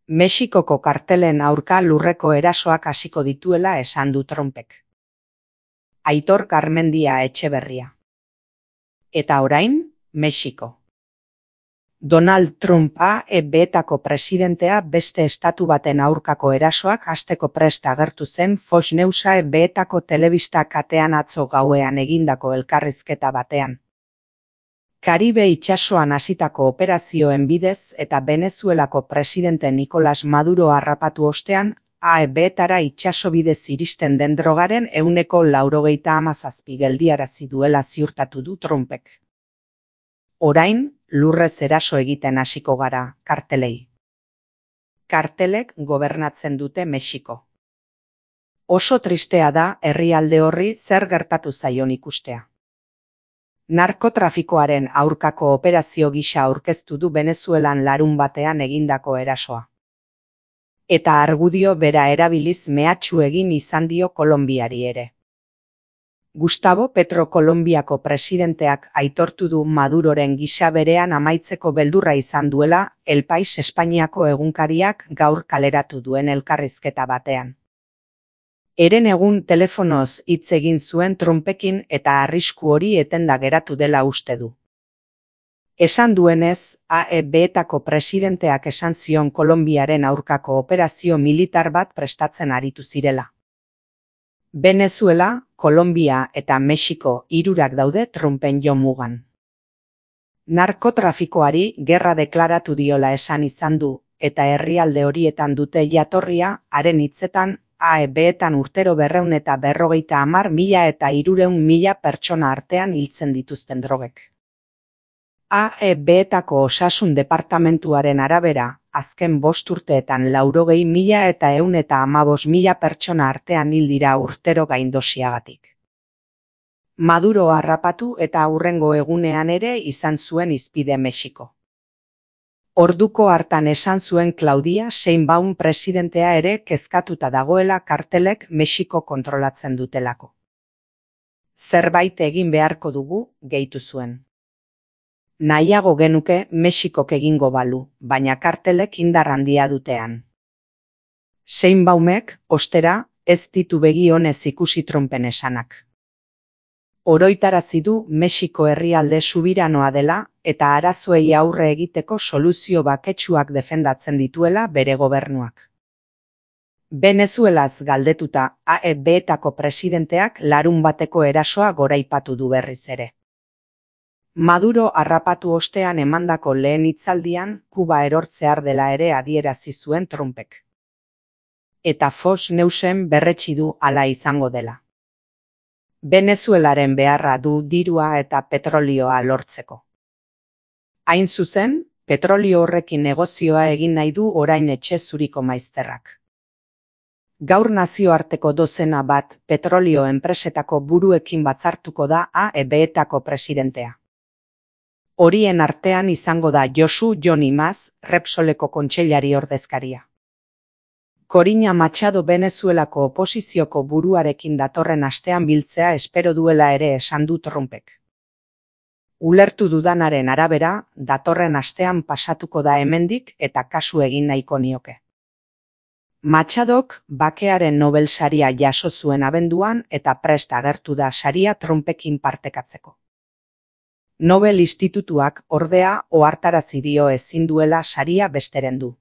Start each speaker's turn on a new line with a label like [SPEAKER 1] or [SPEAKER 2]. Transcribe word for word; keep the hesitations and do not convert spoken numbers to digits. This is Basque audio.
[SPEAKER 1] Mexikoko kartelen aurka lurreko erasoak hasiko dituela esan du Trumpek. Aitor Garmendia Etxeberria. Eta orain, Mexiko. Donald Trump A E B-etako presidentea beste estatu baten aurkako erasoak hasteko prest agertu zen Fox News A E B-etako telebista katean atzo gauean egindako elkarrizketa batean. Karibe itsasoan hasitako operazioen bidez eta Venezuelako presidente Nicolas Maduro harrapatu ostean, A E B-etara itsaso bidez iristen den drogaren ehuneko laurogeita hamazazpi geldiarazi duela ziurtatu du Trumpek. Orain, lurrez eraso egiten hasiko gara, kartelei. Kartelek gobernatzen dute Mexiko. Oso tristea da herrialde horri zer gertatu zaion ikustea. Narkotrafikoaren aurkako operazio gisa aurkeztu du Venezuelan larun batean egindako erasoa. Eta argudio bera erabiliz mehatxu egin izan dio Kolonbiari ere. Gustavo Petro Kolonbiako presidenteak aitortu du Maduroren gisa berean amaitzeko beldurra izan duela El País Espainiako egunkariak gaur kaleratu duen elkarrizketa batean. Eren egun telefonoz hitz egin zuen Trumpekin eta arrisku hori etenda geratu dela uste du. Esan duenez, A E B-etako presidenteak esan zion Kolonbiaren aurkako operazio militar bat prestatzen aritu zirela. Venezuela, Kolonbia eta Mexiko hirurak daude Trumpen jomugan. Narkotrafikoari gerra deklaratu diola esan izan du, eta herrialde horietan dute jatorria, haren hitzetan, A E B-etan urtero berreun eta berrogeita hamar mila eta hirureun mila pertsona artean hiltzen dituzten drogek. A E B-etako osasun departamentuaren arabera, azken bost urteetan laurogei mila eta ehun eta hamabost mila pertsona artean hil dira urtero gaindosiagatik. Maduro harrapatu eta hurrengo egunean ere izan zuen hizpide Mexiko. Orduko hartan esan zuen Claudia Sheinbaum presidentea ere kezkatuta dagoela kartelek Mexiko kontrolatzen dutelako. Zerbait egin beharko dugu, gehitu zuen. Nahiago genuke Mexikok egingo balu, baina kartelek indar handia dutean. Sheinbaumek, ostera, ez ditu begi onez ikusi Trumpen esanak. Oroitarazi du Mexiko herrialde subiranoa dela eta arazoei aurre egiteko soluzio baketsuak defendatzen dituela bere gobernuak. Venezuelaz galdetuta A E B-etako presidenteak larun bateko erasoa goraipatu du berriz ere. Maduro harrapatu ostean emandako lehen hitzaldian Kuba erortzear dela ere adierazi zuen Trumpek. Eta Fox Newsen berretsi du hala izango dela. Venezuelaren beharra du dirua eta petrolioa lortzeko. Hain zuzen, petrolio horrekin negozioa egin nahi du orain etxe zuriko maizterrak. Gaur nazioarteko dozena bat petrolio enpresetako buruekin batzartuko da A E B-etako presidentea. Horien artean izango da Josu Jon Imaz, Repsoleko kontseilari ordezkaria. Corina Machado Venezuelako oposizioko buruarekin datorren astean biltzea espero duela ere esan du Trumpek. Ulertu dudanaren arabera, datorren astean pasatuko da hemendik eta kasu egin nahiko nioke. Machadok bakearen Nobel saria jaso zuen abenduan eta prest agertu da saria Trumpekin partekatzeko. Nobel Institutuak ordea ohartarazi dio ezin duela saria besteren du.